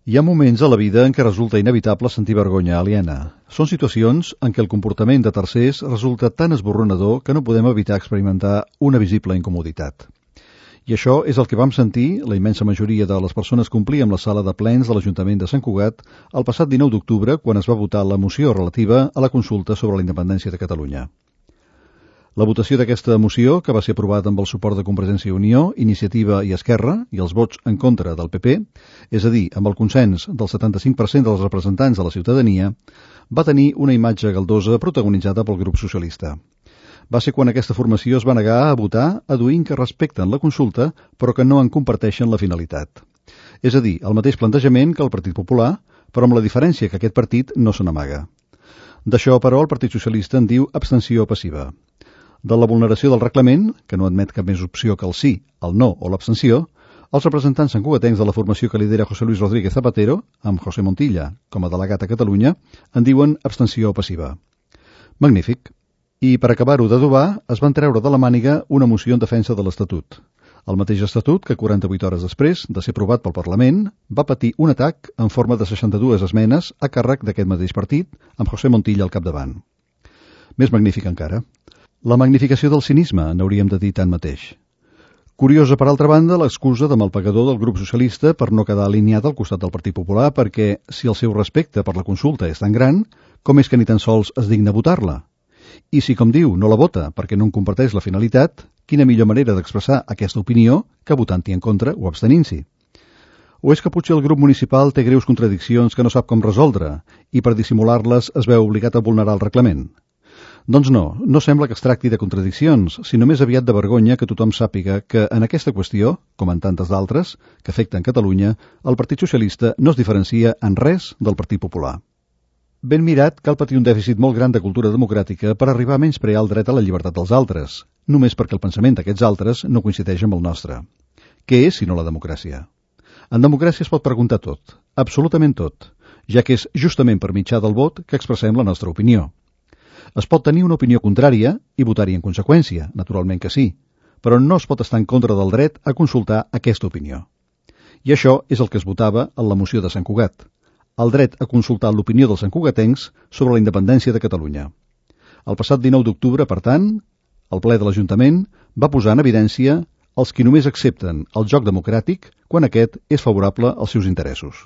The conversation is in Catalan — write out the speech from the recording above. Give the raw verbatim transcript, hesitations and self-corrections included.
Hi ha moments a la vida en què resulta inevitable sentir vergonya aliena. Són situacions en què el comportament de tercers resulta tan esborronador que no podem evitar experimentar una visible incomoditat. I això és el que vam sentir, la immensa majoria de les persones que omplíem la sala de plens de l'Ajuntament de Sant Cugat el passat dinou d'octubre, quan es va votar la moció relativa a la consulta sobre la independència de Catalunya. La votació d'aquesta moció, que va ser aprovada amb el suport de Convergència i Unió, Iniciativa i Esquerra, i els vots en contra del P P, és a dir, amb el consens del setanta-cinc per cent dels representants de la ciutadania, va tenir una imatge galdosa protagonitzada pel grup socialista. Va ser quan aquesta formació es va negar a votar aduint que respecten la consulta, però que no en comparteixen la finalitat. És a dir, el mateix plantejament que el Partit Popular, però amb la diferència que aquest partit no se n'amaga. D'això, però, el Partit Socialista en diu abstenció passiva. De la vulneració del reglament, que no admet cap més opció que el sí, el no o l'abstenció, els representants santcugatencs de la formació que lidera José Luis Rodríguez Zapatero, amb José Montilla com a delegat a Catalunya, en diuen abstenció passiva. Magnífic. I per acabar-ho d'adobar, es van treure de la màniga una moció en defensa de l'Estatut. El mateix Estatut que quaranta-vuit hores després de ser aprovat pel Parlament va patir un atac en forma de seixanta-dues esmenes a càrrec d'aquest mateix partit, amb José Montilla al capdavant. Més magnífic encara. La magnificació del cinisme, n'hauríem de dir tanmateix. Curiosa, per altra banda, l'excusa de malpagador del grup socialista per no quedar alineat al costat del Partit Popular, perquè si el seu respecte per la consulta és tan gran, com és que ni tan sols es digna votar-la? I si, com diu, no la vota perquè no en comparteix la finalitat, quina millor manera d'expressar aquesta opinió que votant-hi en contra o abstenint-s'hi? O és que potser el grup municipal té greus contradiccions que no sap com resoldre i per dissimular-les es veu obligat a vulnerar el reglament? Doncs no, no sembla que es tracti de contradiccions, sinó més aviat de vergonya que tothom sàpiga que en aquesta qüestió, com en tantes d'altres, que afecten Catalunya, el Partit Socialista no es diferencia en res del Partit Popular. Ben mirat, cal patir un dèficit molt gran de cultura democràtica per arribar a menysprear el dret a la llibertat dels altres, només perquè el pensament d'aquests altres no coincideix amb el nostre. Què és, si no la democràcia? En democràcia es pot preguntar tot, absolutament tot, ja que és justament per mitjà del vot que expressem la nostra opinió. Es pot tenir una opinió contrària i votar-hi en conseqüència, naturalment que sí, però no es pot estar en contra del dret a consultar aquesta opinió. I això és el que es votava en la moció de Sant Cugat, el dret a consultar l'opinió dels santcugatencs sobre la independència de Catalunya. El passat dinou d'octubre, per tant, el ple de l'Ajuntament va posar en evidència els qui només accepten el joc democràtic quan aquest és favorable als seus interessos.